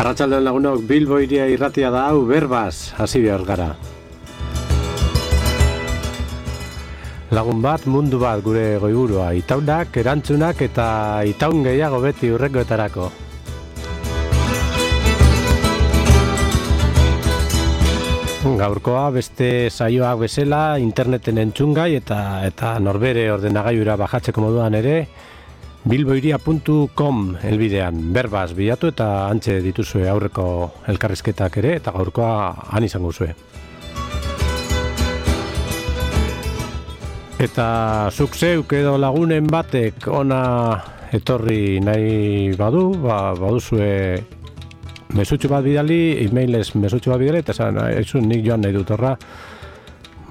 Arratsaldeon lagunok, Bilbo hiria irratia da hau, berbaz, hasi behar gara. Lagun bat, mundu bat gure goiburua, itaunak, erantzunak eta itaun gehiago beti urrekoetarako. Gaurkoa beste saioak bezala interneten entzungai eta norbere ordenagailura bajatzeko moduan ere bilbohiria.com helbidean berbaz bilatu eta antxe dituzue aurreko elkarrizketak ere eta gaurkoa han izango zue. Eta zuk zeuk edo lagunen batek ona etorri nahi baduzue mesutxo bat bidali, e-mailez mesutxo bat bidali, eta esan, nik joan nahi dut horra,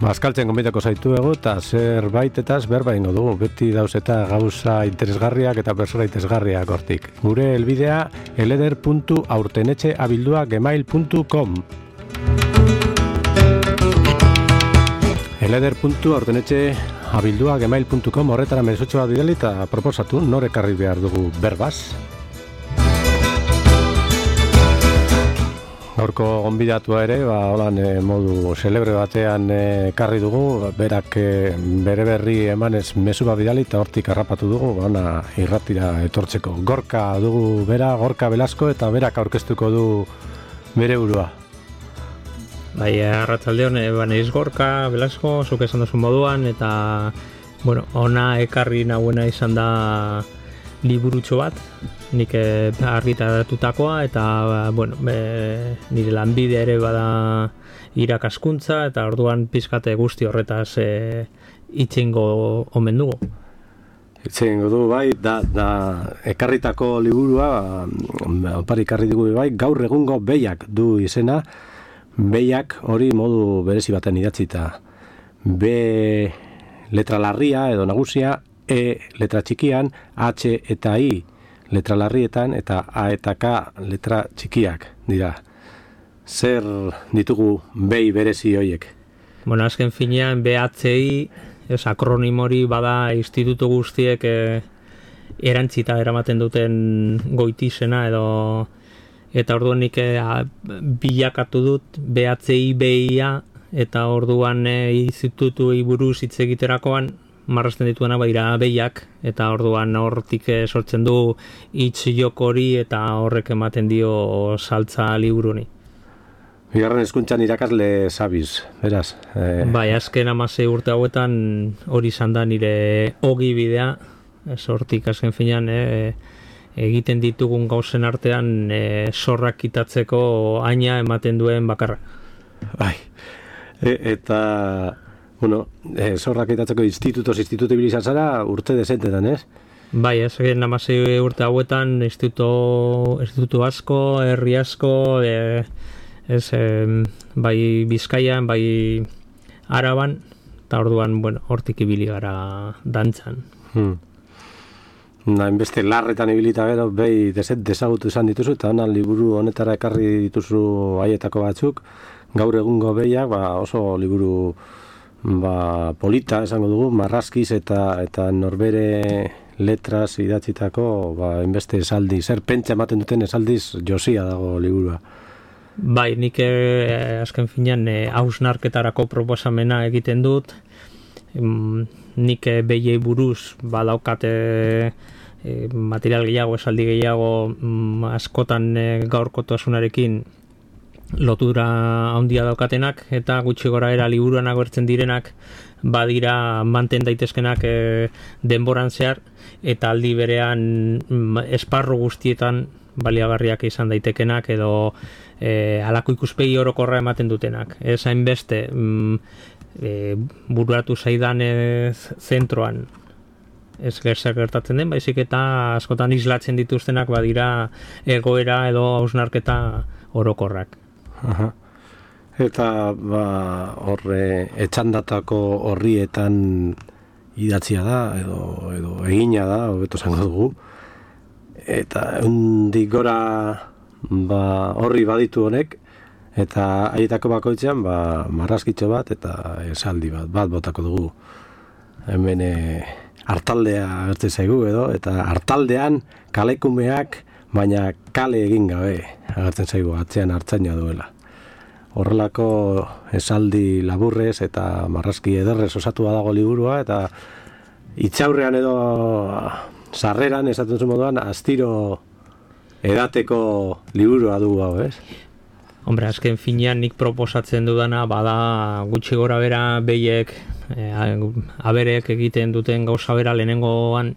azkaltzen gonbitako zaituegu, eta zerbaitetaz berba ingo dugu, beti dauz eta gauza interesgarriak eta persona interesgarriak hortik. Gure helbidea, eleder.aurtenetxeabildua@gmail.com eleder.aurtenetxeabildua@gmail.com horretara mesutxo bat bidali, eta proposatu, nor ekarri behar dugu berbaz. Gaurko gonbidatua ere, holan modu celebre batean ekarri dugu, berak bere berri emanez mezu bat bidali eta hortik harrapatu dugu, ona irratira etortzeko. Gorka dugu bera, Gorka Velasco, eta berak aurkeztuko du bere burua. Bai, arratsaldeon, naiz Gorka Velasco, zuk esan duzun moduan, eta ona ekarri nahuena izan da liburutxo bat, nik argitaratutakoa, eta nire lanbidea ere bada irakaskuntza, eta orduan pizkate guzti horretaz itxengo omen dugu. Itxengo du, bai, da ekarritako liburua, opari ekarri dugu bai, gaur egungo behiak du izena, behiak hori modu berezi baten idatzita. B letra larria edo nagusia, E letra txikian, H eta I letra larrietan, eta A eta K letra txikiak dira. Zer ditugu behi berezi hoiek? Azken finean BHI, akronimori bada institutu guztiek erantzita eramaten duten goitizena edo, eta orduan nik bilakatu dut BHI BIA, eta orduan institutuei buruz hitz egiterakoan marrazten dituena badira behiak, eta orduan hortik sortzen du hitz jokori eta horrek ematen dio saltza liburuni. Bigarren hezkuntzan irakasle zabiz, beraz? Bai, azken 16 urte hauetan hori izan da nire ogi bidea, hortik azken finean egiten ditugun gauzen artean zorrak kitatzeko aina ematen duen bakarra. Bai, eta zorrak itatzeko institutu ibilizan zara urte dezentetan, ez? Bai, azken 16 urte hauetan institutu asko, herri asko, bai Bizkaian, bai Araban, eta orduan, hortik ibili gara dantzan. Hainbeste larretan ibilita gero, behi dezagutu izan dituzu, eta liburu honetara ekarri dituzu haietako batzuk, gaur egungo behiak, oso liburu polita esango dugu, marrazkiz eta norbere letraz idatzitako hainbeste esaldi, zer pentsa ematen duten esaldiz josia dago liburua. Bai, nik azken finean hausnarketarako proposamena egiten dut, nik behiei buruz badaukate material gehiago, esaldi gehiago, askotan gaurkotasunarekin lotura handia daukatenak, eta gutxi goraera liburuan agertzen direnak badira manten daitezkenak denboran zehar, eta aldi berean esparru guztietan baliagarriak izan daitekenak edo halako ikuspegi orokorra ematen dutenak. Ez hainbeste bururatu zaidan zentroan ez gertatzen den, baizik eta askotan islatzen dituztenak badira egoera edo hausnarketa orokorrak. Eta horre etxandatako horrietan idatzia da edo egina da, hobeto zango dugu, eta hundik gora horri baditu honek, eta haietako bakoitzean marrazkitxo bat eta esaldi bat botako dugu. Hemen hartaldea gertzen zaigu edo, eta hartaldean kalekumeak baina kale egin gabe agertzen zaigu atzean hartzaina duela. Horrelako esaldi laburrez eta marrazki ederrez osatua dago liburua, eta itxaurrean edo sarreran esaten zu moduan astiro edateko liburua du hau, ez? Hombre, azken finean nik proposatzen dudana bada gutxi gora bera behiek aberek egiten duten gauza bera lehenengoan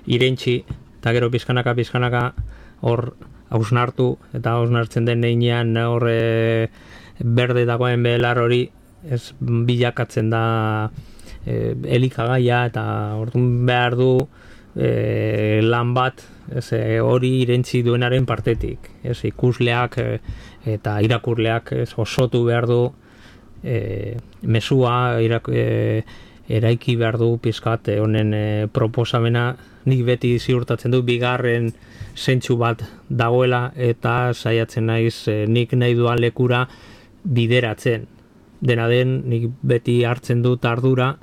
irentxi, eta gero pizkanaka hor hausnartu, eta hausnartzen den neinean hor berde dagoen belar hori ez bilakatzen da elikagaia, eta orduan behar du lan bat hori irentzi duenaren partetik. Ikusleak eta irakurleak osotu behar du mesua eraiki behar du pizkat honen proposamena. Nik beti ziurtatzen du bigarren zentsu bat dagoela, eta saiatzen naiz nik nahi duan lekura bideratzen. Dena den, nik beti hartzen dut ardura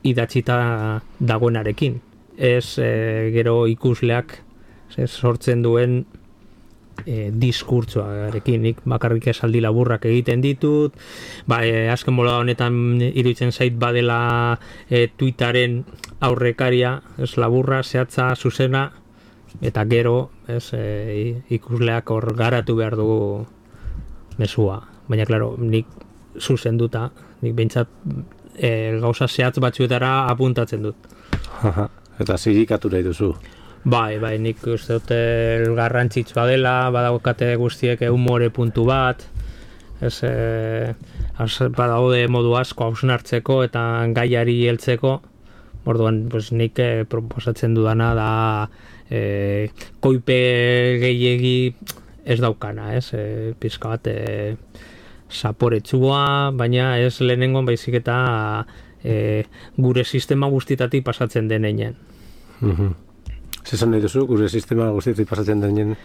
idatzita dagoenarekin. Ez gero ikusleak sortzen duen diskurtsoarekin. Nik bakarrik esaldi laburrak egiten ditut, azken bola honetan iruditzen zait badela Twitterren aurrekaria, ez laburra, zehatza, zuzena, eta gero ikusleak hor garatu behar du mesua. Baina, klaro, nik zuzenduta, nik behintzat gauza zehatz batzuetara apuntatzen dut. Eta zirikatu nahi duzu. Bai, nik uste dut garrantzitsua dela, badagokate guztiek humore puntu bat, badaude modu asko hausnartzeko eta gaiari heltzeko. Orduan, nik proposatzen dudana da koipe gehiegi ez daukana, pizka bat zaporetsua, baina ez lehenengoan baizik eta gure sistema guztietatik pasatzen denean. Zezan nahi duzu, gure sistema guztietatik pasatzen denean?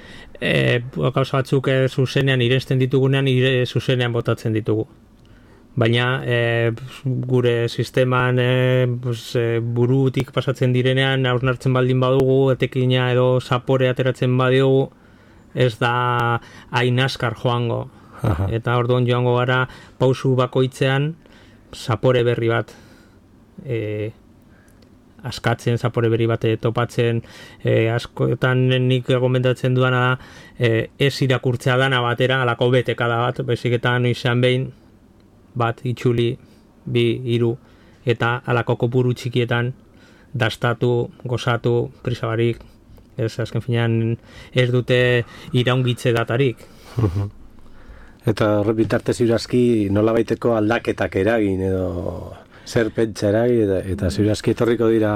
Gauza batzuk zuzenean iresten ditugunean, zuzenean botatzen ditugu. Baina gure sisteman burutik pasatzen direnean, hausnartzen baldin badugu, etekina edo zapore ateratzen badiogu, ez da hain askar joango. Eta orduan joango gara pausu bakoitzean zapore berri bat askatzen, zapore berri bat topatzen. Askotan nik gomendatzen dudana da ez irakurtzea dana batera, alako betekada bat, beziketan izan behin bat itxuli, 2, 3, eta alako kopuru txikietan dastatu, gozatu, prisabarik, azken finean ez dute iraungitze datarik. Eta horre bitartez ziurazki nolabaiteko aldaketak eragin edo zer pentsa eragin, eta ziurazki etorriko dira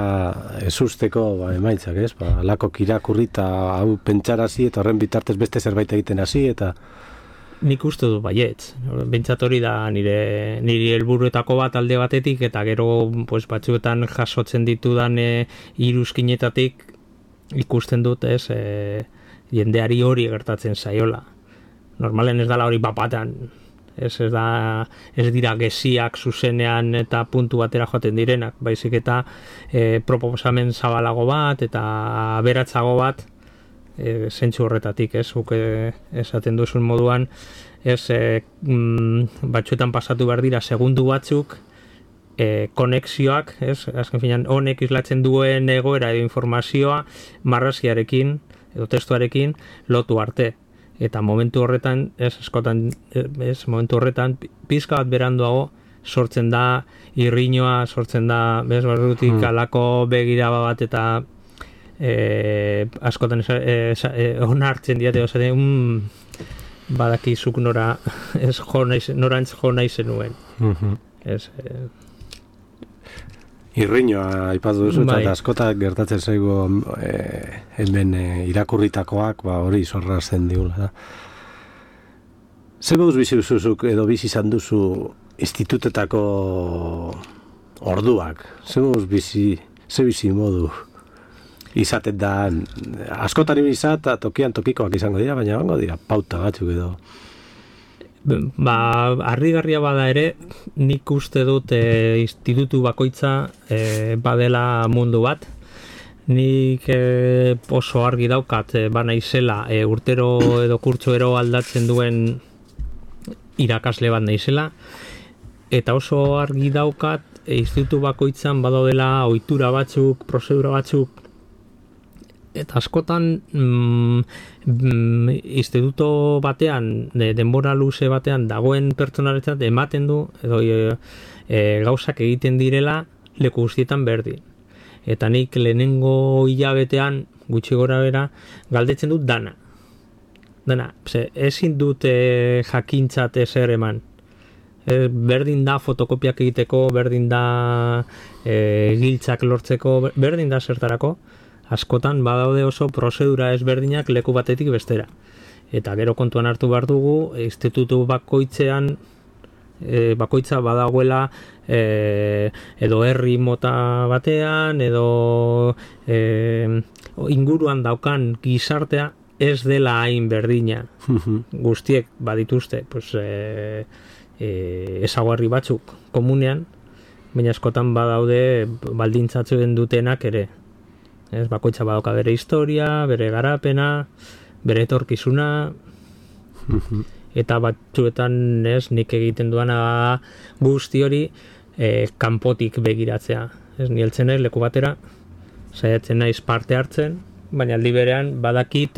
ezusteko emaitzak, ez? Alakok irakurri eta hau pentsarazi, eta horren bitartez beste zerbait egiten hasi, eta nik uste dut baietz. Bentsat hori da niri helburuetako bat alde batetik, eta gero batzuetan jasotzen ditudan iruzkinetatik ikusten dut, jendeari hori gertatzen zaiola. Normalen ez dala hori bapatan, ez dira geziak zuzenean eta puntu batera joaten direnak, baizik eta proposamen zabalago bat eta aberatzago bat zentzu horretatik, esaten duzun moduan, batzuetan pasatu behar dira segundu batzuk, konexioak, azken finean honek islatzen duen egoera edo informazioa marrazkiarekin edo testuarekin lotu arte. Eta momentu horretan, momentu horretan, pizka bat beranduago sortzen da irriñoa, sortzen da, barrutik alako begiraba bat eta askotan onartzen diate, badakizuk norantz jo nahi zenuen. Irriñoa aipatu duzu, eta askotak gertatzen zaigu hemen irakurritakoak, hori zorrazten digula. Zer moduz bizi duzuzuk edo bizi izan duzu institutetako orduak? Zer moduz bizi modu izaten da, askotan ibizat, tokian tokikoak izango dira, baina bango dira pauta batzuk edo. Harrigarria bada ere, nik uste dut institutu bakoitza badela mundu bat. Nik oso argi daukat naizela urtero edo kurtsoero aldatzen duen irakasle bat naizela, eta oso argi daukat institutu bakoitzan badaudela ohitura batzuk, prozedura batzuk, eta askotan instituto batean, denbora luze batean dagoen pertsonaretzat ematen du edo gauzak egiten direla leku guztietan berdin. Eta nik lehenengo hilabetean gutxi gora bera galdetzen dut dana. Ezin dut jakintzat ezer eman. Berdin da fotokopiak egiteko, berdin da giltzak lortzeko, berdin da zertarako. Askotan badaude oso prozedura ezberdinak leku batetik bestera. Eta gero kontuan hartu behar dugu, institutu bakoitzean bakoitza badagoela edo herri mota batean edo inguruan daukan gizartea ez dela hain berdina. Guztiek badituzte ezaugarri batzuk komunean, baina askotan badaude baldintzatzen dutenak ere. Bakoitza badauka bere historia, bere garapena, bere etorkizuna, eta batzuetan nik egiten duana guzti hori kanpotik begiratzea. Ni heltzen naiz leku batera, saiatzen naiz parte hartzen, baina aldi berean badakit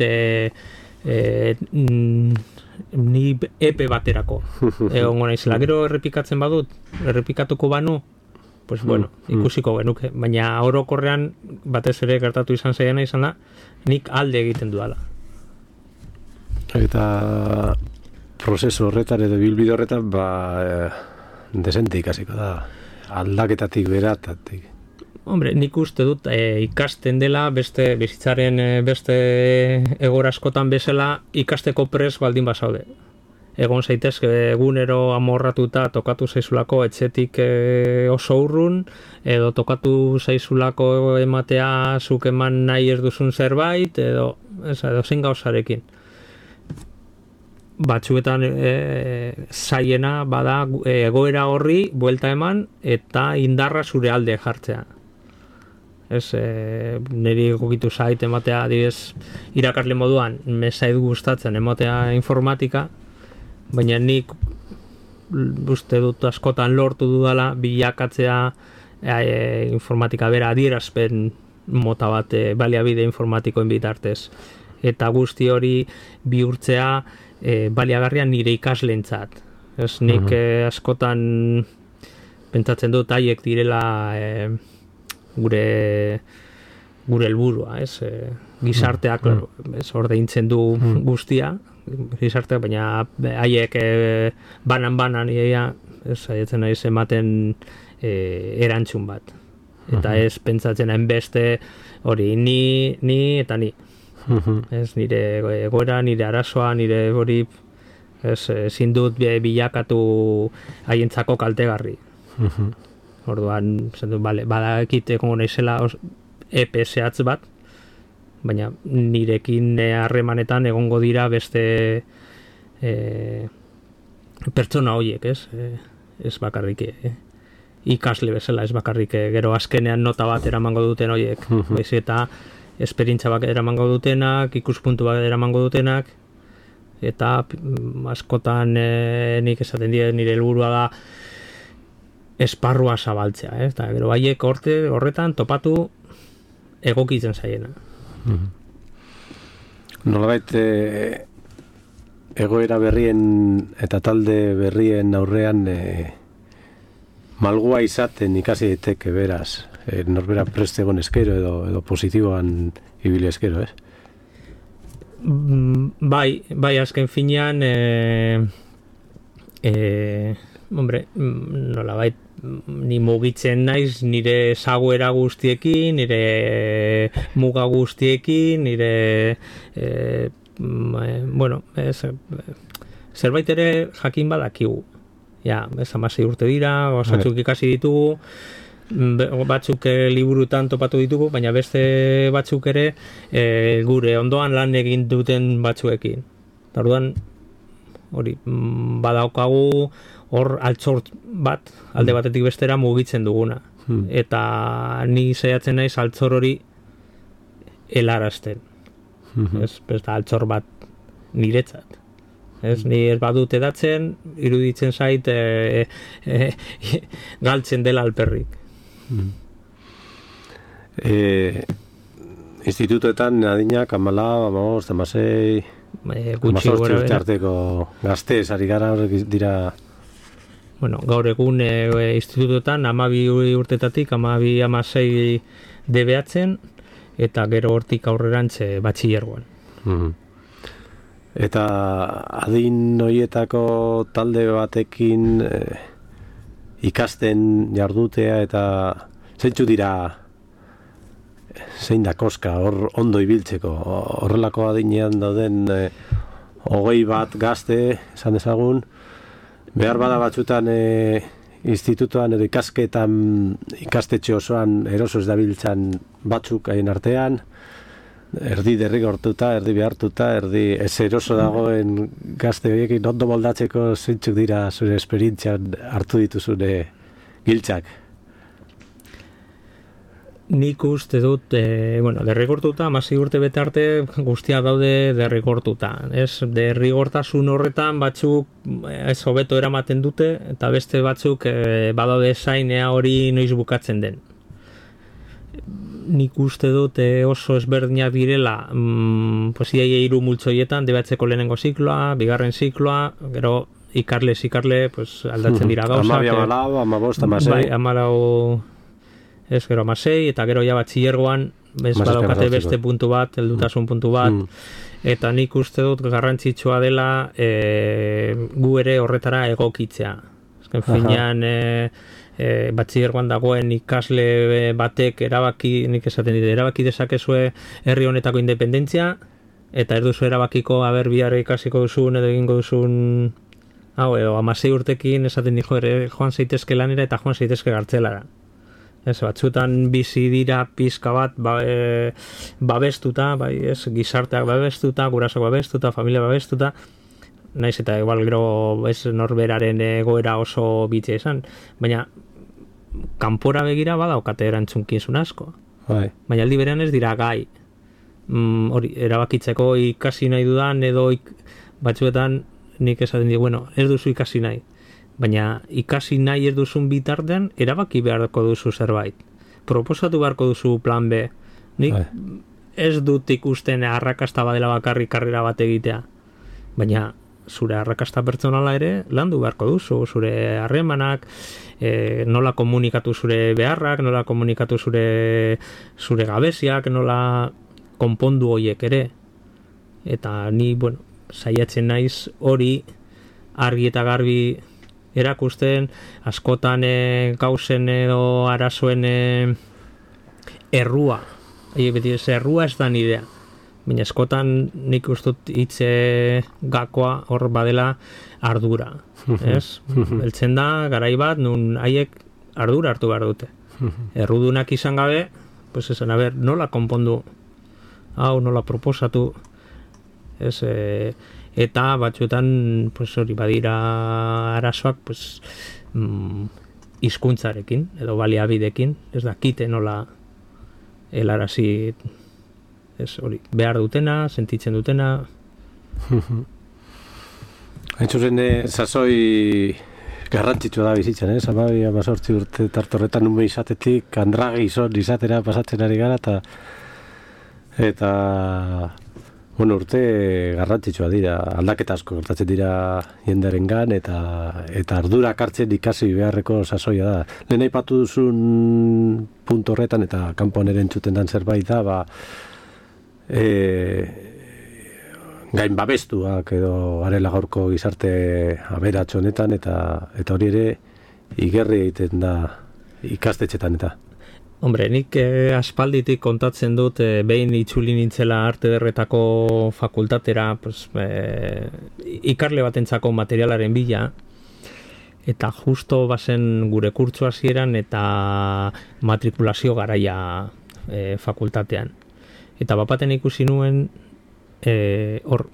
ni epe baterako egongo naizela. Gero errepikatzen badut, errepikatuko banu, pues bueno, ikusiko genuke, baina orokorrean batez ere gertatu izan zaiena izan da, nik alde egiten dudala. Eta prozesu horretan edo bilbide horretan desente ikasiko da, aldaketatik beratatik. Hombre, nik uste dut ikasten dela beste bizitzaren beste egora askotan bezala ikasteko pres baldin bazaude. Egon zaitezke egunero amorratuta tokatu zaizulako etxetik oso urrun, edo tokatu zaizulako ematea zuk eman nahi ez duzun zerbait, edo zein gauzarekin. Batzuetan zaiena bada egoera horri buelta eman eta indarra zure alde jartzea. Niri egokitu zait ematea, adibidez, irakasle moduan, zait gustatzen ematea informatika, baina nik uste dut askotan lortu dudala bilakatzea informatika bera adierazpen mota bat baliabide informatikoen bitartez. Eta guzti hori bihurtzea baliagarria nire ikaslentzat. Nik askotan pentsatzen dut haiek direla gure helburua, gizarteak ordeintzen du guztia, gizarteak, baina haiek banan saiatzen naiz ematen erantzun bat. Eta ez pentsatzen hainbeste hori ni eta ni. Nire egoera, nire arazoa, nire hori ezin dut bilakatu haientzako kaltegarri. Orduan, badakit egongo naizela epe zehatz bat, baina nirekin harremanetan egongo dira beste pertsona horiek, ez bakarrik ikasle bezala, ez bakarrik gero azkenean nota bat eramango duten horiek, baizik eta esperientzia bat eramango dutenak, ikuspuntu bat eramango dutenak, eta askotan nik esaten dira nire helburua da esparrua zabaltzea, eta gero haiek horretan topatu egokitzen zaiena. Nolabait egoera berrien eta talde berrien aurrean malgua izaten ikasi daiteke beraz, norbera preste egon eskero edo positiboan ibili eskero, ez? Bai, azken finean nolabait ni mugitzen naiz nire zagoera guztiekin, nire muga guztiekin, nire zerbait ere jakin badakigu. Ja, 16 urte dira, batzuk ikasi ditugu, batzuk liburutan topatu ditugu, baina beste batzuk ere gure ondoan lan egin duten batzuekin. Orduan hori badaukagu hor altzort bat alde batetik bestera mugitzen duguna. Eta ni saiatzen naiz altzor hori helarazten. Ez da altxor bat niretzat. Ni ez badut edatzen, iruditzen zait galtzen dela alperrik. Institutoetan adinak 14, 16, 18 urte arteko gaztez, ari gara dira... Bueno, gaur egun institutoetan 12 urtetatik 12-16 debeatzen, eta gero hortik aurrerantze batxilergoan. Eta adin horietako talde batekin ikasten jardutea eta zeintzu dira zein da koska hor ondo ibiltzeko horrelako adinean dauden 21 gazte esan dezagun behar bada batzutan institutoan edo ikastetxe osoan eroso ez dabiltzan batzuk haien artean erdi derrigortuta, erdi behartuta, erdi ez eroso dagoen gazte horiekin ondo moldatzeko zeintzuk dira zure esperientzian hartu dituzune giltzak? Nik uste dut, derrigortuta, 16 urte bete arte guztia daude derrigortuta. Derrigortasun horretan batzuk ez hobeto eramaten dute, eta beste batzuk badaude zainea hori noiz bukatzen den. Nik uste dut oso ezberdinak direla iaia 3 multzoietan debatzeko lehenengo zikloa, bigarren zikloa, gero ikarle aldatzen dira gauzak. 14, 15, 16. Bai, 14, gero 16, eta gero ja batxilergoan badaukate beste puntu bat, heldutasun puntu bat, eta nik uste dut garrantzitsua dela gu ere horretara egokitzea. Azken finean batxilergoan dagoen ikasle batek erabaki dezakezue herri honetako independentzia, eta ez duzu erabakiko bihar ikasiko duzun edo egingo duzun edo 16 urtekin esaten dijo joan zaitezke lanera eta joan zaitezke gartzelara. Batzutan bizi dira pizka bat babestuta, gizarteak babestuta, gurasoak babestuta, familia babestuta, naiz eta igual gero norberaren egoera oso bitxia izan, baina kanpora begira badaukate erantzunkizun asko. Baina aldi berean ez dira gai hori erabakitzeko ikasi nahi dudan edo batzuetan nik esaten di, ez duzu ikasi nahi, baina ikasi nahi ez duzun bitartean erabaki beharko duzu zerbait, proposatu beharko duzu plan B. Nik ez dut ikusten arrakasta badela bakarrik karrera bat egitea, baina zure arrakasta pertsonala ere landu beharko duzu, zure harremanak, nola komunikatu zure beharrak, nola komunikatu zure gabeziak, nola konpondu horiek ere. Eta ni, saiatzen naiz hori argi eta garbi erakusten, askotan gauzen edo arazoen errua. Errua ez da nidea. Baina askotan nik ustut hitze gakoa hor badela ardura. Beltzen da, garai bat, nun haiek ardura hartu behar dute. Errudunak izan gabe, esan, nola konpondu, nola proposatu, eta batzuetan hori badira arazoak hizkuntzarekin edo baliabidekin, ez dakite nola helarazi hori behar dutena, sentitzen dutena. Hain zuzen, sasoi garrantzitsua da bizitzen, 18 urte tartorretan ume izatetik andrage izatera pasatzen ari gara, eta urte garrantzitsua dira, aldaketa asko gertatzen dira jendearengan, eta ardurak hartzen ikasi beharreko sasoia da. Lehen aipatu duzun puntu horretan, eta kanpoan ere entzuten dan zerbait da, gain babestuak edo garela gaurko gizarte aberats honetan, eta hori ere igerri egiten da ikastetxetan eta. Hombre, nik aspalditik kontatzen dut behin itzuli nintzela arte ederretako fakultatera, ikarle batentzako materialaren bila, eta justo bazen gure kurtso hasieran eta matrikulazio garaia fakultatean. Eta bapaten ikusi nuen hor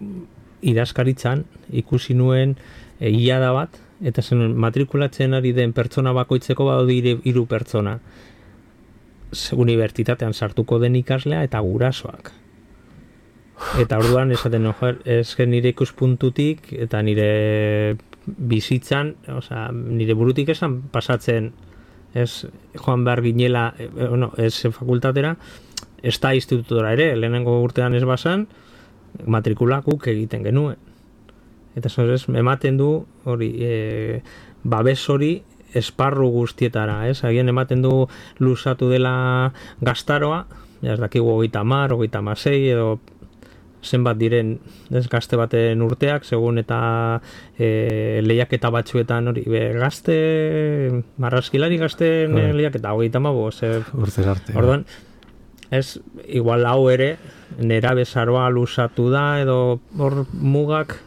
idazkaritzan ikusi nuen hilada bat, eta zen matrikulatzen ari den pertsona bakoitzeko badaude 3 pertsona. unibertsitatean sartuko den ikaslea eta gurasoak. Eta orduan esaten ez nire ikuspuntutik eta nire bizitzan, nire burutik esan pasatzen ez joan behar ginela, ez fakultatera, ez da institutora ere, lehenengo urtean ez basan, matrikulakuk egiten genuen. Eta ematen du hori, babes hori esparru guztietara, ez? Agian ematen du luzatu dela gaztaroa, ez dakigu 30, 36 edo zenbat diren ez gazte baten urteak, segun eta lehiaketa batzuetan hori, gazte, marrazkilari gazten lehiaketa 35, urte arte. Orduan, ez, igual hau ere, nera bezaroa luzatu da, edo hor mugak,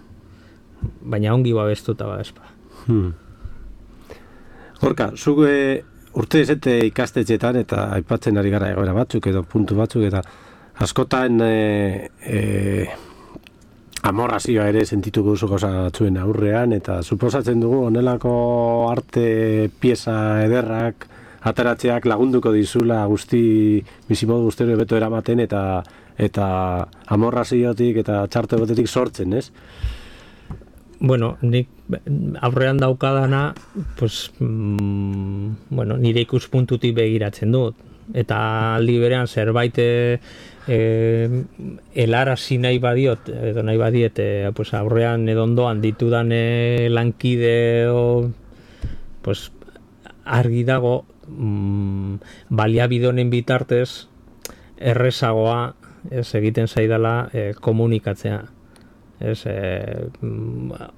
baina ongi babestuta badezpa. Gorka, zuk urte ezete ikastetxetan eta aipatzen ari gara egoera batzuk edo puntu batzuk eta askotan amorrazioa ere sentituko duzu gauza batzuen aurrean eta suposatzen dugu honelako arte pieza ederrak ateratzeak lagunduko dizula guzti bizimodu guztero beto eramaten eta amorraziotik eta txarte botetik sortzen, ez? Bueno, nik aurrean daukadana, pues, nire ikuspuntutik begiratzen dut. Eta aldi berean zerbait helarazi nahi badiot, edo nahi badiet, pues, aurrean edondoan ditudan lankide pues, argi dago baliabidonen bitartez errezagoa egiten zaidala komunikatzea.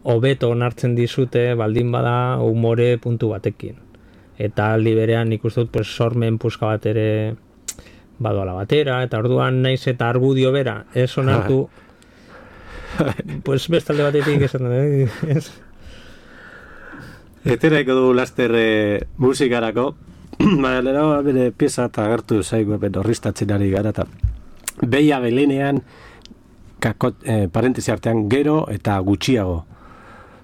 Hobeto onartzen dizute baldin bada umore puntu batekin. Eta aldi berean nik uste dut pues, sormen puska bat ere badoala batera, eta orduan naiz eta argudio bera, ez onartu pues bestalde batetik esan Eteraiko du laster musikarako baina bere pieza eta agertu zaigu horriztatzen ari gara eta Beia Belenean parentesi artean gero eta gutxiago.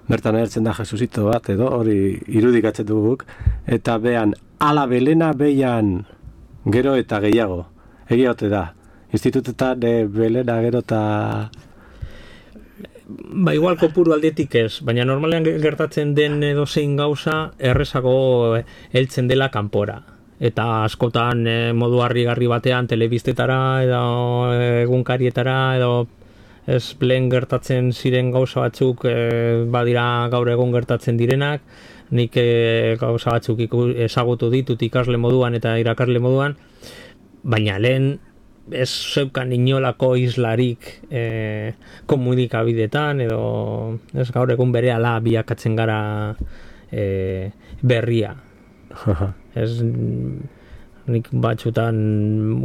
Bertan agertzen da Jesusito bat edo hori irudikatzen duguk eta bean ala Belena Beian gero eta gehiago. Egia ote da. Institutetan Belena gero eta igual kopuru aldetik ez, baina normalean gertatzen den edozein gauza errezago heltzen dela kanpora. Eta askotan modu harrigarri batean telebistetara edo egunkarietara edo ez lehen gertatzen ziren gauza batzuk badira gaur egun gertatzen direnak, nik gauza batzuk ezagutu ditut ikasle moduan eta irakasle moduan, baina lehen ez zeukan inolako islarik komunikabidetan edo ez gaur egun berehala biakatzen gara berria. Ez nik batzutan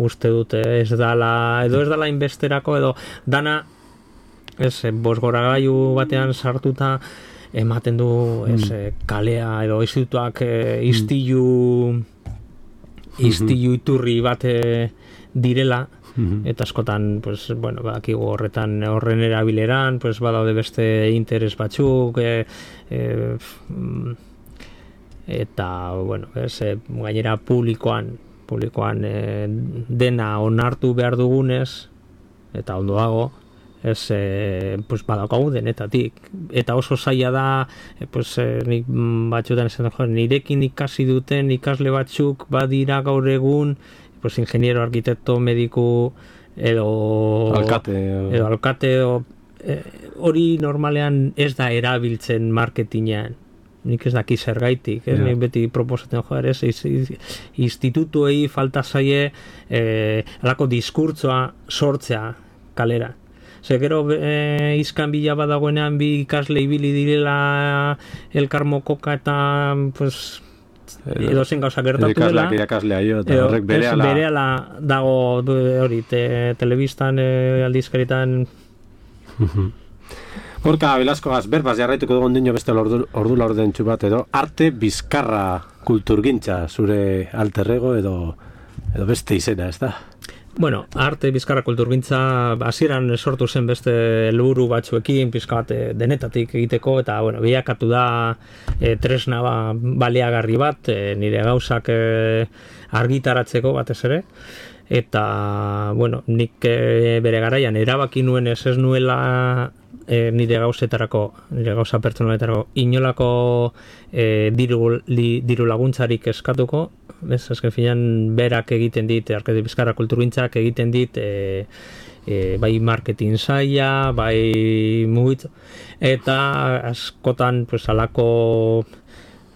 uste dut ez dala inbesterako edo dana bosgoragailu batean sartuta ematen du kalea edo institutuak istilu iturri bat direla eta askotan pues, badakigu horren erabileran pues, badaude beste interes batzuk eta gainera publikoan dena onartu behar dugunez eta ondo dago pues badaukagu denetatik eta oso zaila da pues nik batzuetan esan nirekin ikasi duten ikasle batzuk badira gaur egun pues ingeniero, arkitekto, mediku edo alkate hori normalean ez da erabiltzen marketingean. Nik ez daki zergaitik, nik beti proposatzen institutuei falta zaie alako diskurtsoa sortzea kalera. Gero izkan bila badagoenean bi ikasle ibili direla elkarmokoka eta pues, edo zen gauza gertatu dela horrek berehala dago hori telebistan aldizkaritan Gorka Velascoaz berbaz jarraituko dugu ondino beste ordu laurdentxu bat edo arte bizkarra kulturgintza zure alterrego edo beste izena, ez da? Bueno, arte bizkarra kulturgintza hasieran sortu zen beste helburu batzuekin, pizka bat denetatik egiteko, eta bueno, bilakatu da tresna baliagarri bat, nire gauzak argitaratzeko batez ere, eta bueno, nik bere garaian erabaki nuen ez nuela nire gauza pertsonaletarako inolako diru laguntzarik eskatuko. Ez, azken finean berak egiten dit, arte bizkarra kulturgintzak egiten dit bai marketing saia, bai mugitz, eta askotan pues, alako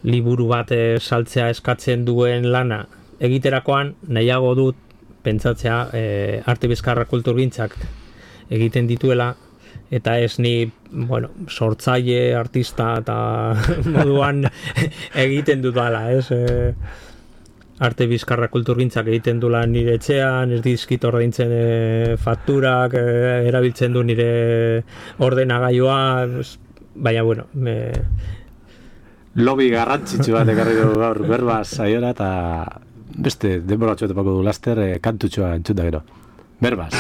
liburu bat saltzea eskatzen duen lana egiterakoan nahiago dut pentsatzea arte bizkarra kulturgintzak egiten dituela, eta ez ni, bueno, sortzaile, artista eta moduan egiten dudala, ez? Arte bizkarra kulturgintzak egiten du lan nire etxean, ez dizkit ordaintzen fakturak, erabiltzen du nire ordenagailua, baina bueno, Lobby garrantzitsu bat ekarri du gaur Berbaz saiora, eta beste denboratxo etepako du laster kantutxoa entzun da gero. Berbaz.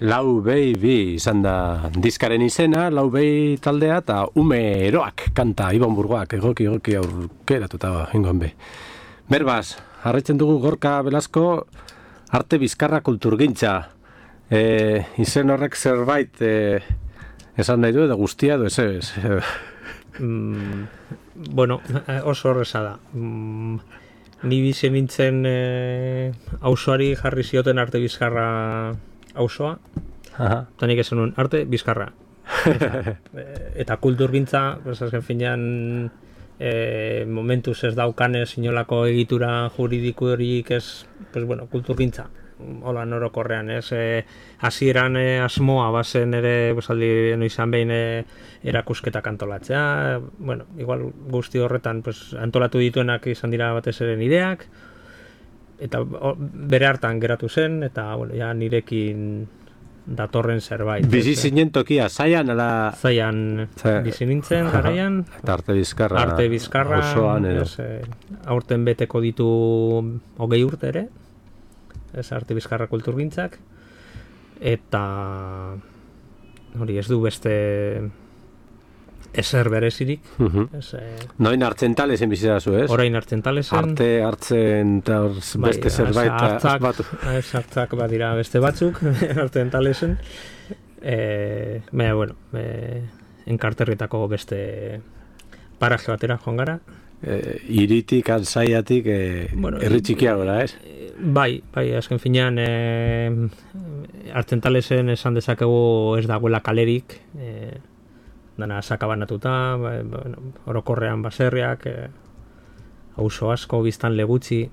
Lau Behi bi izan da diskaren izena, Lau Behi taldea eta Ume Eroak kanta Ibon Burgoak egoki aukeratuta ingoan be. Berbaz, jarraitzen dugu Gorka Velasco arte bizkarra kulturgintza. Izen horrek zerbait esan nahi du edo guztia edo ez. Bueno, oso horreza da. Ni bizi nintzen auzoari jarri zioten arte bizkarra auzoa, eta nik esan nuen arte bizkarra. Eta kulturgintza, azken finean, momentuz ez daukanez inolako egitura juridikorik ez, pues bueno, kulturgintza. Hola norokorrean, ez? Hasieran asmoa bazen ere, aldi izan behin erakusketak antolatzea, bueno, igual guzti horretan pues, antolatu dituenak izan dira batez ere nireak, eta bere hartan geratu zen, eta bueno, ja nirekin datorren zerbait. Bizi zinen tokia, Zaian ala... Zaian bizi nintzen garaian. Eta arte bizkarra osoan edo. Aurten beteko ditu 20 urte ere, ez arte bizkarra kulturgintzak, eta hori ez du beste ezer berezirik. Noin Artzentalesen bizirazu, ez? Orain Artzentalesen. Arte hartzen eta beste zerbait asmatu. Hartzak badira beste batzuk, Artzentalesen. Baina, bueno, enkarterritako beste paraje batera joan gara. Iritik, Zaiatik, herri txikiagora, ez? Bai, azken finean Artzentalesen esan dezakegu ez dagoela kalerik, dana sakabanatuta, orokorrean baserriak, auzo asko, biztan legutzi,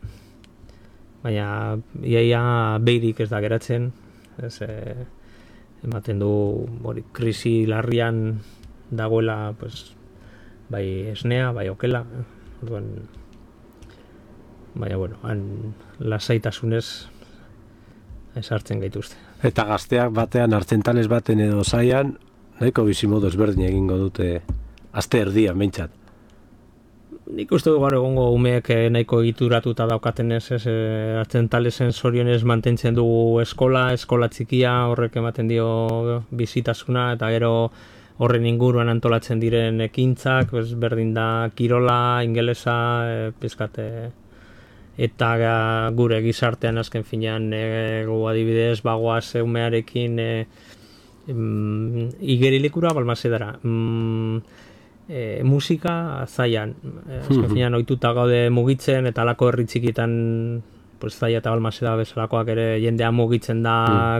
baina iaia behirik ez da geratzen, ez, ematen du hori krisi larrian dagoela, pues, bai esnea, bai okela, orduan, baina, bueno, han lasaitasunez esartzen gaituzte. Eta gazteak batean, Artzentales baten edo Zaian, nahiko bizimodu ezberdin egingo dute aste erdian behintzat. Nik uste gaur egongo umeek nahiko egituratuta daukatenez, Artzentalesen zorionez mantentzen dugu eskola txikia, horrek ematen dio bizitasuna, eta gero horren inguruan antolatzen diren ekintzak, berdin da kirola, ingelesa, pizkate, eta gure gizartean azken finean adibidez bagoaz umearekin igerilikura balmazedara. Musika Zaian, azken finean ohituta gaude mugitzen, eta alako herri txikitan pues, Zaia eta Balmaseda bezalakoak ere jendea mugitzen da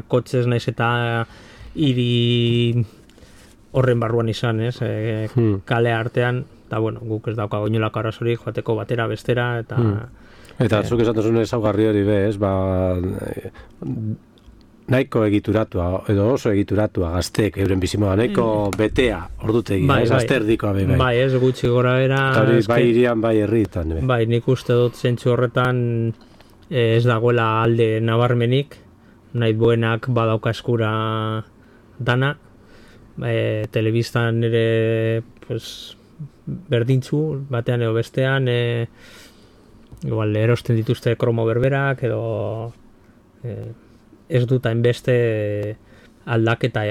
kotxez naiz eta hiri horren barruan izan, ez? Kale artean, eta bueno, guk ez daukago inolako arazorik joateko batera bestera, eta zuk esatuzun ezaugarri hori be, ez? Nahiko egituratua, edo oso egituratua gazteek euren bizimoa, nahiko betea ordutegi, ez azterdikoa be. Bai, ez gutxi gora bera. Eta hori bai irian, bai herritan. Bai, nik uste dut zentzu horretan ez dagoela alde nabarmenik, nahi buenak badauka eskura dana, telebistan ere pues, berdintzu, batean edo bestean, igual erosten dituzte kromo berberak, edo ez dut hainbeste aldaketa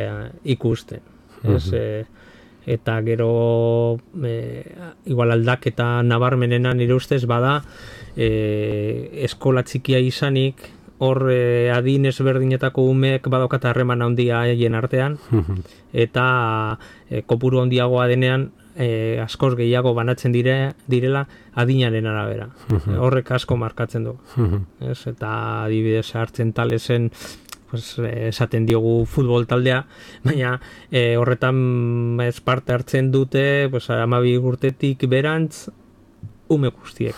ikusten. Eta gero igual aldaketa nabarmenena nire ustez bada eskola txikia izanik hor adin ezberdinetako umeek badaukat harreman handia haien artean, eta kopuru handiagoa denean askoz gehiago banatzen direla adinaren arabera. Horrek asko markatzen du. Eta adibidez Artzentalesen esaten diogu futbol taldea, baina horretan parte hartzen dute 12 urtetik berantz ume guztiek.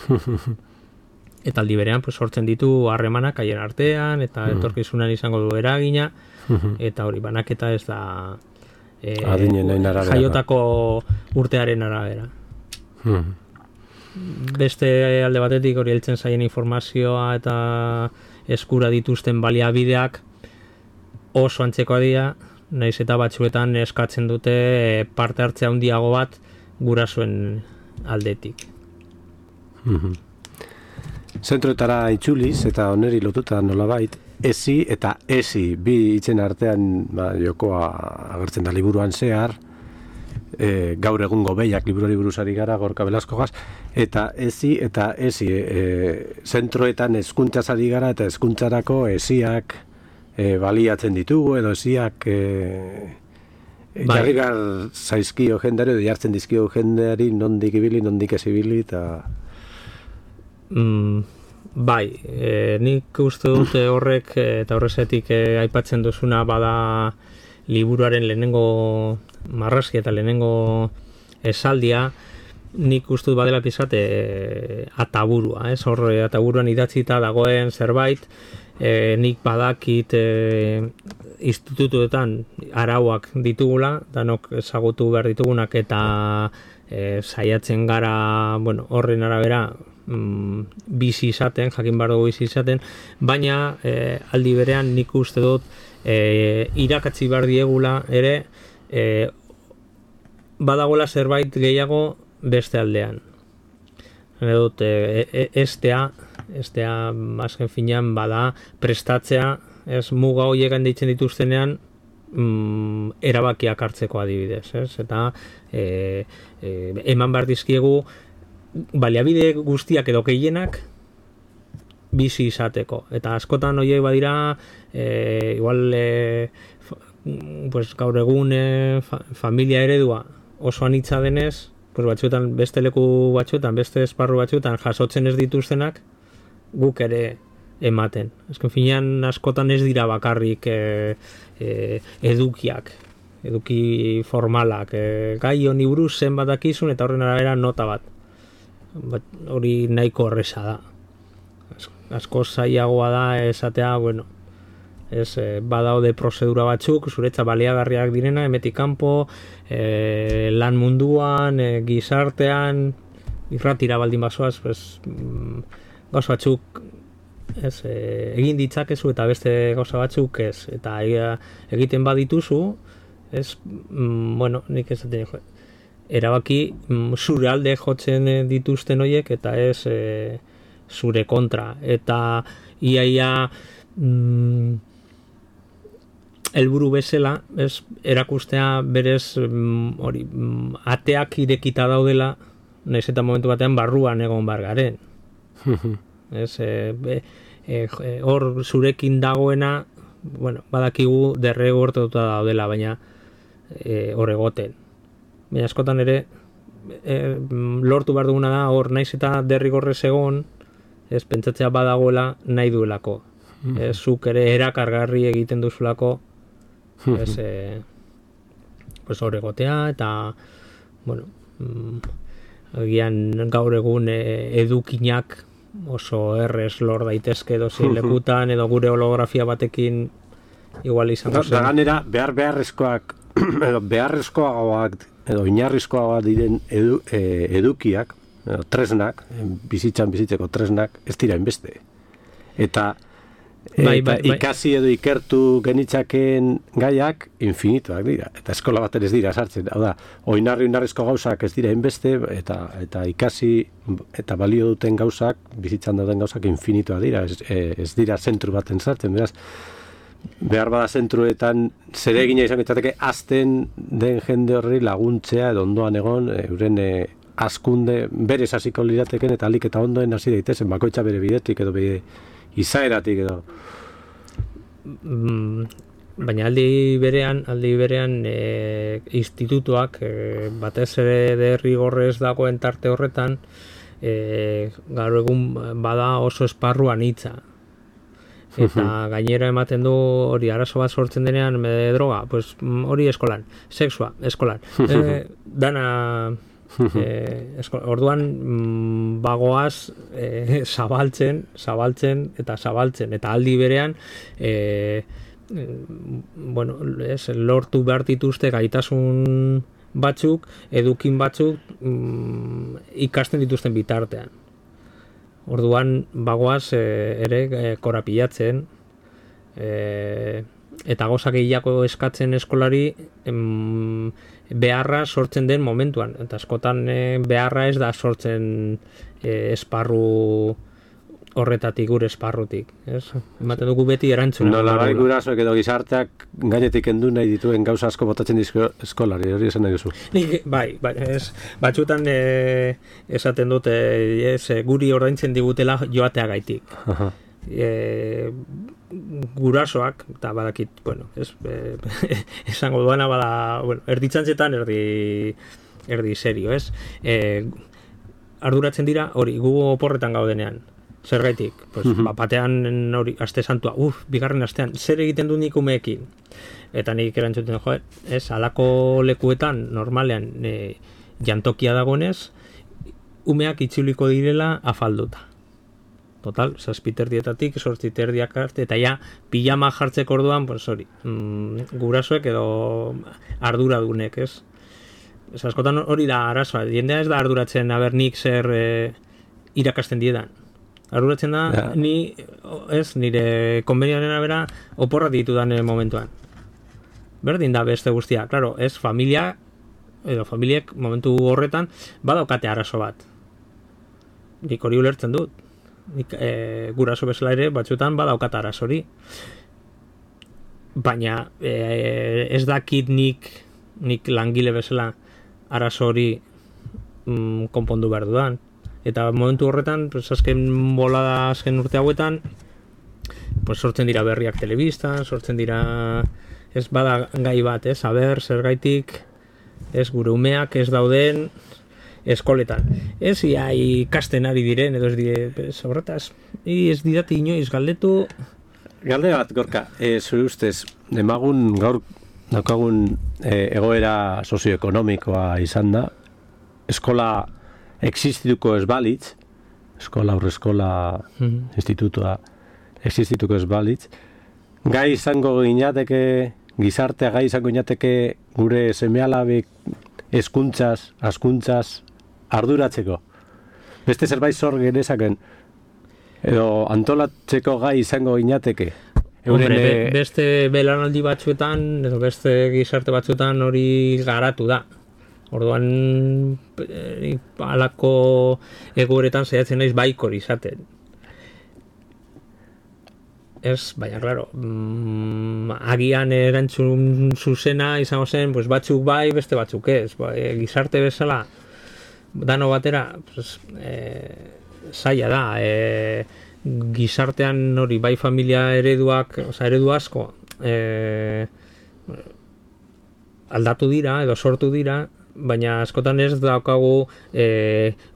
Eta aldi berean sortzen ditu harremanak haien artean, eta etorkizunan izango du eragina, eta hori banaketa ez da jaiotako urtearen arabera. Beste alde batetik hori heltzen zaien informazioa eta eskura dituzten baliabideak oso antzekoa dira, naiz eta batzuetan eskatzen dute parte hartzea handiago bat gurasoen aldetik. Zentroetara itzuliz eta oneri lotuta nolabait, ezi eta ezi, bi hitzen artean jokoa agertzen da liburuan zehar, gaur egungo behiak liburuari buruzari gara Gorka Belaskogaz, eta ezi zentroetan hezkuntzaz ari gara eta hezkuntzarako eziak baliatzen ditugu edo eziak jarri gar zaizkio jendari edo jartzen dizkio jendari nondik ibili, nondik ez ibili eta... Bai, nik uste dut horrek eta horrezetik aipatzen duzuna bada liburuaren lehenengo marrazki eta lehenengo esaldia, nik uste dut badela pizat ataburua, hor ataburuan idatzita dagoen zerbait, nik badakit institutuetan arauak ditugula, danok ezagutu behar ditugunak eta saiatzen gara, horren arabera, bizi izaten, jakin behar dugu bizi izaten, baina aldi berean nik uste dut irakatzi behar diegula ere badagoela zerbait gehiago beste aldean. Dut, estea azken finean bada prestatzea, ez muga horiek handitzen dituztenean erabakiak hartzeko adibidez, ez? Eta eman behar dizkiegu baliabide guztiak edo gehienak bizi izateko. Eta askotan horiek badira igual gaur egun familia eredua oso anitza denez, batzuetan beste leku batzuetan, beste esparru batzuetan jasotzen ez dituztenak guk ere ematen. Azken finean askotan ez dira bakarrik eduki formalak. Gai honi buruz zenbat dakizun eta horren arabera nota bat. Hori nahiko horreza da. Asko zailagoa da esatea, badaude prozedura batzuk, zuretza baliagarriak direna, emetik kanpo, lan munduan, gizartean, irratira baldin bazoaz, gauza batzuk egin ditzakezu eta beste gauza batzuk ez. Eta egiten badituzu, nik esaten erabaki zure alde jotzen dituzten horiek eta ez zure kontra. Eta iaia helburu bezala erakustea berez ateak irekita daudela, nahiz eta momentu batean barruan egon bar garen. Hor zurekin dagoena, badakigu derregortuta daudela, baina hor egoten. Baina askotan ere lortu behar duguna da hor naiz eta derrigorrez egon, pentsatzea badagoela nahi duelako. Zuk ere erakargarri egiten duzulako hor egotea eta agian gaur egun edukinak oso errez lor daitezke dozein lekutan edo gure holografia batekin igual izango zen. Da ganera beharrezkoak edo inarrizkoagoak diren edukiak, tresnak, bizitzeko tresnak, ez dira inbeste. Eta ikasi edo ikertu genitzakeen gaiak infinituak dira. Eta eskola baten ez dira sartzen. Hau da, oinarrizko gauzak ez dira inbeste, eta ikasi eta balio duten gauzak, bizitzan dauden gauzak infinituak dira. Ez dira zentru baten sartzen, beraz, behar bada zentruetan zeregina izan ditzateke azten den jende horri laguntzea edo ondoan egon euren hazkunde berez hasiko lirateken eta alik eta ondoen hasi daitezen bakoitza bere bidetik edo bere izaeratik edo baina aldi berean institutuak batez ere derrigorrez dagoen tarte horretan gaur egun bada oso esparru anitza. Eta gainera ematen du hori arazo bat sortzen denean droga, hori eskolan, sexua, eskolan. Dana orduan bagoaz zabaltzen eta aldi berean lortu behar dituzte gaitasun batzuk, edukin batzuk ikasten dituzten bitartean. Orduan bagoaz ere korapilatzen eta gauza gehiago eskatzen eskolari beharra sortzen den momentuan. Eta askotan beharra ez da sortzen esparru horretatik gure esparrutik, ez? Ematen dugu beti erantzuna. Nola bai gurasoek edo gizarteak gainetik kendu nahi dituen gauza asko botatzen dizko eskolari, hori esan nahi duzu. Bai, ez, batzutan esaten dute, guri ordaintzen digutela joateagaitik. Gurasoak, eta badakit, bueno, esango duana bada, bueno, erditzantzetan erdi serio, ez? Arduratzen dira, hori, gu oporretan gaudenean. Zergaitik, pues, batean hori, aste santua, bigarren astean, zer egiten du nik umeekin? Eta nik erantzuten, alako lekuetan, normalean, jantokia dagoenez, umeak itzuliko direla afalduta. Total, 7:30 8:30 arte, eta ja, pijama jartzeko orduan, pues hori, gurasoek edo arduradunek, ez? Ez askotan hori da arazoa, jendea ez da arduratzen, nik zer irakasten diedan. Arduratzen da, nire konbenioaren abera oporra ditudan momentuan. Berdin da beste guztia, claro, ez familia, edo familiek momentu horretan badaukate arazo bat. Nik hori ulertzen dut. Nik guraso bezala ere batzutan badaukat arazo hori. Baina ez dakit nik langile bezala arazo hori konpondu behar dudan. Eta momentu horretan, pues, azken urte hauetan, pues, sortzen dira berriak telebistan, sortzen dira, ez bada gai bat, zergaitik, gure umeak ez dauden eskoletan. Ez ikasten ari diren, edo ez dire, horretaz, ez didate inoiz galdetu. Galde bat, Gorka, zure ustez, demagun gaur daukagun egoera sozioekonomikoa izan da, eskola existituko ez balitz, aurreskola institutua existituko ez balitz, gai izango ginateke, gizartea gai izango ginateke gure seme-alabek hezkuntzaz, askuntzaz arduratzeko. Beste zerbait zor genezaken, edo antolatzeko gai izango ginateke. Beste belanaldi batzuetan, edo beste gizarte batzuetan hori garatu da. Orduan, halako egoeretan saiatzen naiz baikor izaten. Ez, baina, claro, agian erantzun zuzena izango zen, pues, batzuk bai, beste batzuk ez. Gizarte bezala, dano batera, pues, zaila da. Gizartean hori, bai familia eredu asko, aldatu dira, edo sortu dira, baina askotan ez daukagu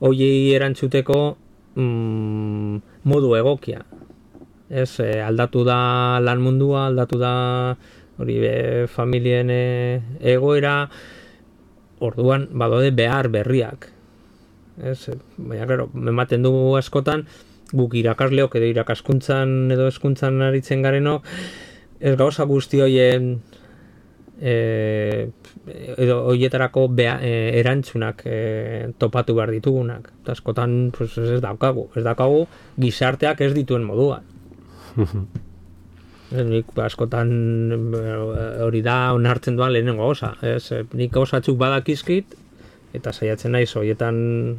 hoiei erantzuteko modu egokia. Ez, aldatu da lan mundua, aldatu da hori familien egoera, orduan badaude behar berriak. Ez, baina, claro, ematen dugu askotan, guk irakasleok edo irakaskuntzan edo hezkuntzan aritzen garenok, ez gauza guzti hoien edo hoietarako erantzunak topatu behar ditugunak. Eta askotan pues, ez daukagu gizarteak ez dituen moduan. Nik askotan hori da onartzen duan lehenengo gauza. Nik gauzatzuk badakizkit eta saiatzen naiz horietan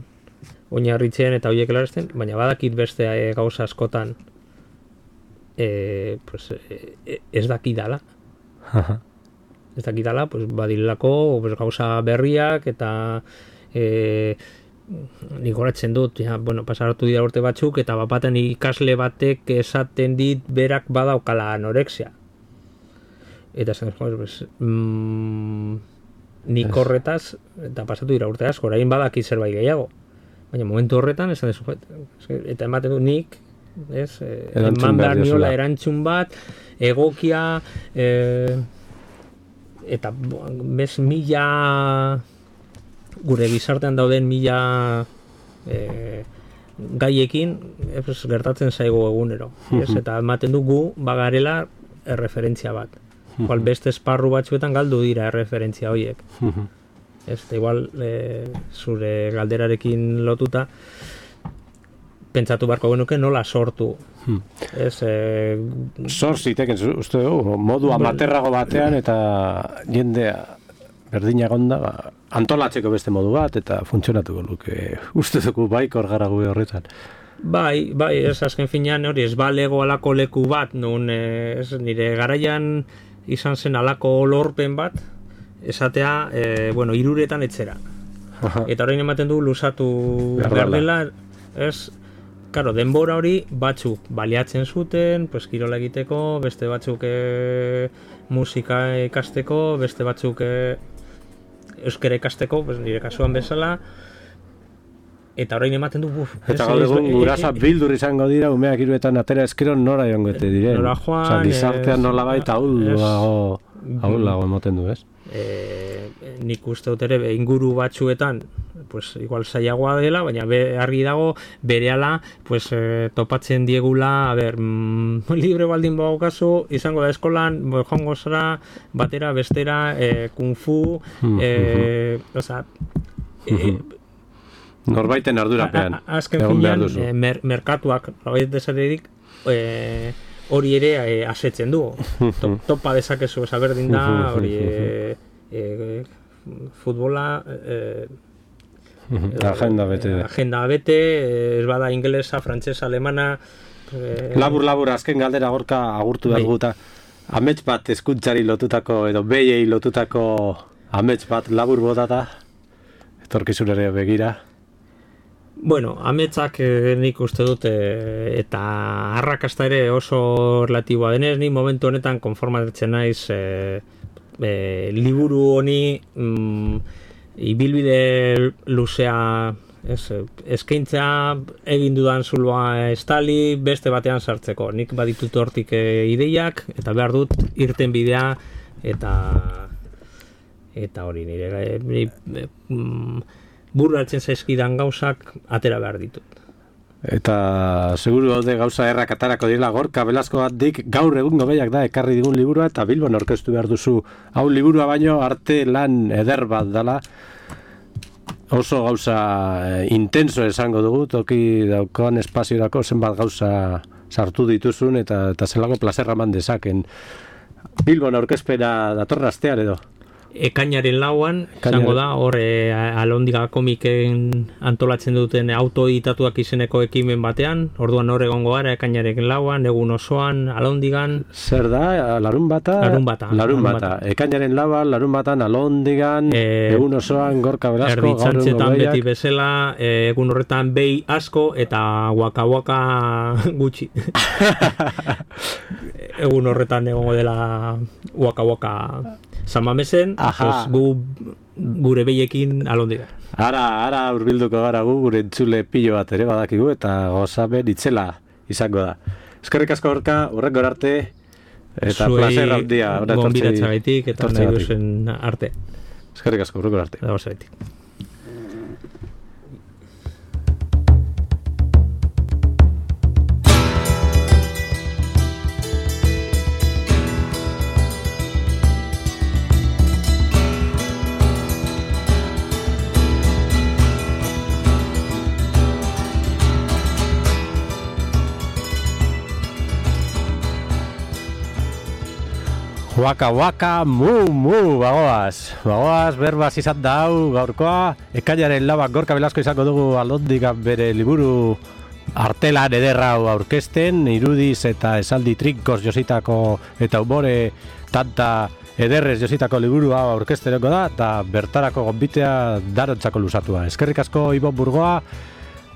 oinarritzen eta horiek elarazten, baina badakit beste gauza askotan pues, ez dakidala. Ez dakidala, pues, badilelako pues, gauza berriak eta nik horatzen dut, pasaratu dira urte batzuk, eta bapaten ikasle batek esaten dit berak badaukala anorexia. Eta zen, nik horretaz, eta pasatu dira urte asko, orain badakit zerbait gehiago. Baina momentu horretan, esan dezu, eta ematen du nik, eman behar niola erantzun bat, egokia, eta bez mila gure gizartean dauden mila gaiekin gertatzen zaigu egunero. Eta ematen dugu bagarela erreferentzia bat. Igual beste esparru batzuetan galdu dira erreferentzia horiek. Igual zure galderarekin lotuta pentsatu beharko genuke nola sortu. Sor ziteken, uste dugu, modu amaterrago batean eta jendea berdina gonda, antolatzeko beste modu bat eta funtzionatuko luke. Uste dugu baikor gara gube horretan. Bai, ez azken finean hori ez balego alako leku bat, nun nire garaian izan zen alako lorpen bat, esatea, iruretan etxera. Eta orain ematen du luzatu behar dela, ez, karo, denbora hori batzuk baliatzen zuten, pues, kirola egiteko, beste batzuk musika ikasteko, beste batzuk euskara ikasteko, pues, nire kasuan bezala, eta orain ematen du eta gaur egun gurasa bildur izango dira umeak iruetan atera eskero nora joangete diren. Nora joan, gizartean nola baita ahulago emoten du, ez? Nik uste dut ere inguru batzuetan pues igual zailagoa dela, baina argi dago berehala pues topatzen diegula, libre baldin badaukazu, izango da eskolan, joango zara batera bestera kung fu, osea, norbaiten ardurapean. Azken finean, merkatuak desarerik hori ere asetzen du. Topa dezakezu esaberdin da, hori futbola agenda bete, ez bada ingelesa, frantsesa, alemana. Labur, azken galdera gorka agurtu behar guta. Amets bat eskuntzari lotutako, edo behiei lotutako amets bat labur botata, etorkizunera begira. Bueno, ametsak nik uste dut eta arrakasta ere oso relatiboa denez, ni momentu honetan konformatzen naiz liburu honi ibilbide luzea eskaintzea egin dudan zuloa estali beste batean sartzeko. Nik baditut hortik ideiak eta behar dut irten bidea eta hori nire burratzen zaizkidan gauzak atera behar ditut. Eta seguru daude gauza errak atarako direla Gorka Velasco batik gaur egungo behiak da ekarri digun liburua eta Bilbon aurkeztu behar duzu. Hau liburua baino arte lan eder bat dela. Oso gauza intenso esango dugu, toki daukoan espaziorako zenbat gauza sartu dituzun eta zelako plazerra man dezaken. Bilbon aurkezpena datorren astean edo? Ekainaren lauan, izango da, hor Alondiga komiken antolatzen duten autoeditatuak izeneko ekimen batean, orduan hor egongo gara ekainaren lauan, egun osoan, Alondigan. Zer da, larun bata? Larun bata. Ekainaren lauan, larun batan, Alondigan, egun osoan, Gorka Velasco, Erditxantzetan beti bezala, egun horretan behi asko eta waka gutxi. Egun horretan egongo dela waka San Mamesen, gure behiekin Alondiga. Ara urbilduko gara gure entzule pilo bat ere badakigu eta gozaben itzela izango da. Eskerrik asko Gorka, horrengo arte eta placer handia. Gonbidatzagaitik eta nahi duzen arte. Eskerrik asko, horrengo arte. Gozagaitik. Waka, mu, bagoaz, berbaz izan da hau gaurkoa, ekainaren labak Gorka Velasco izango dugu Alondigan bere liburu artelan ederra hau aurkezten, irudiz eta esaldi trinkos jositako eta humore tanta ederrez jositako liburu hau aurkezteneko da, eta bertarako gonbitea darontzako luzatua. Eskerrik asko Ibon Burgoa,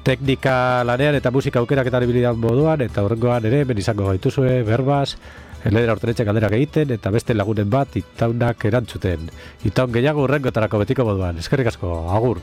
teknika lanean eta musika aukeraketan ibilidan moduan, eta horrengoan ere, ben izango gaituzue, berbaz, Ledera Hortenetxe galderak egiten eta beste lagunen bat itaunak erantzuten. Itaun gehiago urrengotarako betiko moduan. Eskerrik asko, agur!